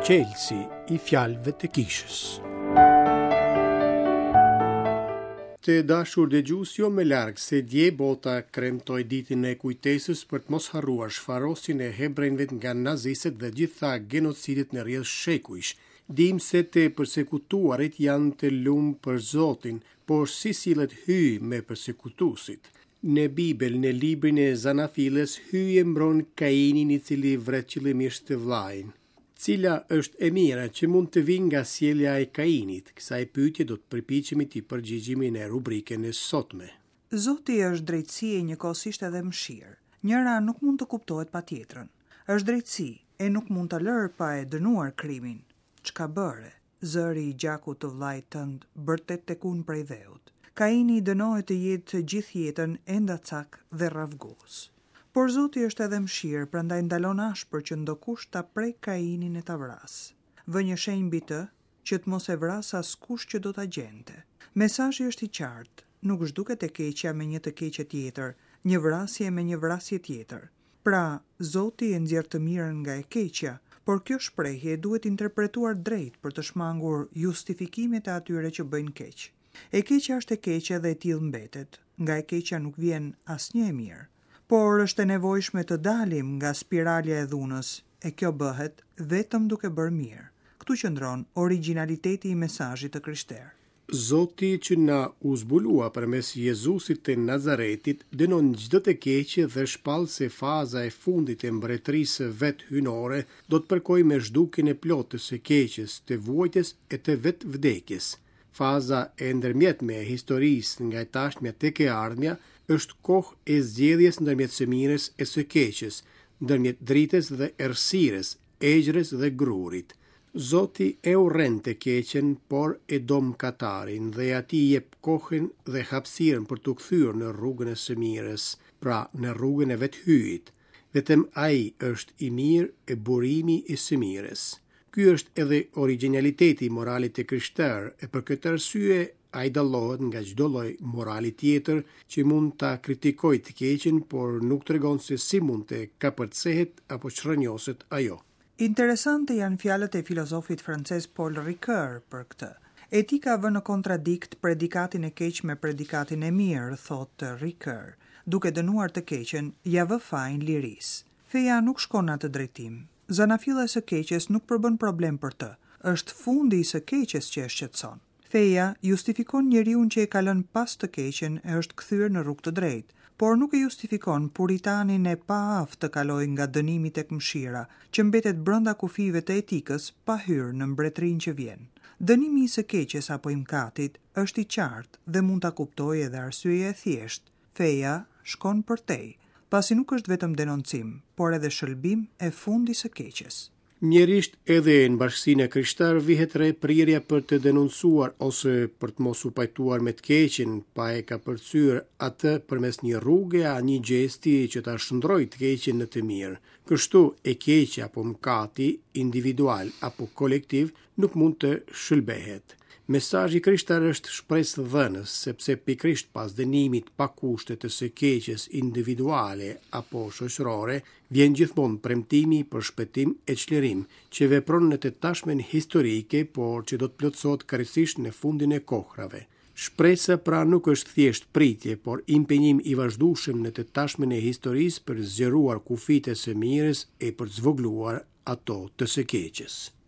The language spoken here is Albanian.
Çelësi i fjalëve të kishës. Të dashur dëgjues, jo më larg se dje bota kremtoi ditën e kujtesës për të mos harruar shfarosjen e hebrenjve nga nazistët dhe gjitha genocidet në rrjedhë shekujsh. Dimë se të persekutuarit janë të lum për Zotin, por si sillet Hyji me persekutuesit? Në Bibël, në librin e Zanafillës, Hyji e mbron Kainin i cili vret qëllimisht të vëllain. Cila është e mira që mund të vijë nga sjellja e Kainit? Kësaj pyetje do të përpiqemi t'i përgjigjemi në rubrikën e sotme. Zoti është drejtësi e njëkohësisht edhe mëshirë. Njëra nuk mund të kuptohet pa tjetrën. Është drejtësi, e nuk mund ta lërë pa e dënuar krimin. Çka bëre? Zëri i gjakut të vëllait tënd bërtet tek unë prej dheut. Kaini dënohet të jetë gjithë jetën endacak dhe rravgus. Por Zoti është edhe mëshirë, prandaj ndalon ashpër që ndokush ta prekë Kainin e ta vrasë. Vë një shenjë mbi të, që të mos e vrasë askush që do ta gjente. Mesazhi është i qartë, nuk zhduket e keqja me një të keqe tjetër, një vrasje me një vrasje tjetër. Pra, Zoti e nxjerr të mirën nga e keqja, por kjo shprehje duhet interpretuar drejt për të shmangur justifikimet e atyre që bëjnë keq. E keqja është e keqe dhe e tillë mbetet, nga e keqja nuk vjen asnjë e mirë. Por është e nevojshme të dalim nga spiralja e dhunës, e kjo bëhet vetëm duke bërë mirë. Këtu qëndron origjinaliteti i mesazhit të krishterë. Zoti që na u zbulua përmes Jezusit të Nazaretit, dënon çdo të keqe dhe shpall se faza e fundit e mbretërisë së vet hyjnore do të përkojë me zhdukjen e plotë të së keqes, të vuajtjes e të vetë vdekjes. Faza e ndërmjetme e historisë nga e tashmja tek e ardhmja është kohë e zgjedhjes ndërmjet së mirës e së keqes, ndërmjet dritës dhe errësirës, egjrës dhe grurit. Zoti e urren të keqen, por e do mëkatarin dhe atij i jep kohën dhe hapësirën për t'u kthyer në rrugën e së mirës, pra në rrugën e vetë Hyjit. Vetëm Ai është i mirë e burimi i së mirës. Ky është edhe origjinaliteti i moralit të krishterë e për këtë arsye ai dallohet nga çdo lloj morali tjetër që mund ta kritikojë të keqen, por nuk tregon se si mund të kapërcehet apo çrrënjoset ajo. Interesante janë fjalët e filozofit francez Paul Ricoeur për këtë. Etika vë në kontradiktë predikatin e keq me predikatin e mirë, thotë Ricoeur. Duke dënuar të keqen, ia vë fajin lirisë. Feja nuk shkon në atë drejtim. Zanafilla e së keqes nuk përbën problem për të. Është fundi i së keqes që e shqetëson. Feja justifikon njeriun që e ka lënë pas të keqen e është kthyer në rrugë të drejtë, por nuk e justifikon puritanin e paaftë të kalojë nga dënimi tek mëshira, që mbetet brenda kufijve të etikës pa hyrë në mbretërinë që vjen. Dënimi i së keqes apo i mëkatit është i qartë dhe mund ta kuptojë edhe arsyeja e thjeshtë, feja shkon përtej, pasi nuk është vetëm denoncim, por edhe shëlbim e fund i së keqes. Mjerisht edhe në bashkësinë e krishterë vihet re prirja për të denoncuar ose për të mos u pajtuar me të keqen, pa e kapërcyer atë përmes një rruge a një gjesti që ta shndërrojë të keqen në të mirë. Kështu, e keqja apo mëkati, individual apo kolektiv, nuk mund të shëlbehet. Mesazhi i krishterë është shpresëdhënës, sepse pikërisht pas dënimit pa kushte të së keqes individuale apo shoqërore, vjen gjithmonë premtimi për shpëtim e çlirim, që vepron në të tashmen historike, por që do të plotësohet krejtësisht në fundin e kohrave. Shpresa pra nuk është thjesht pritje, por impenjim i vazhdueshëm në të tashmen e historisë për të zgjeruar kufijtë e së mirës e për të zvogëluar ato të së keqes.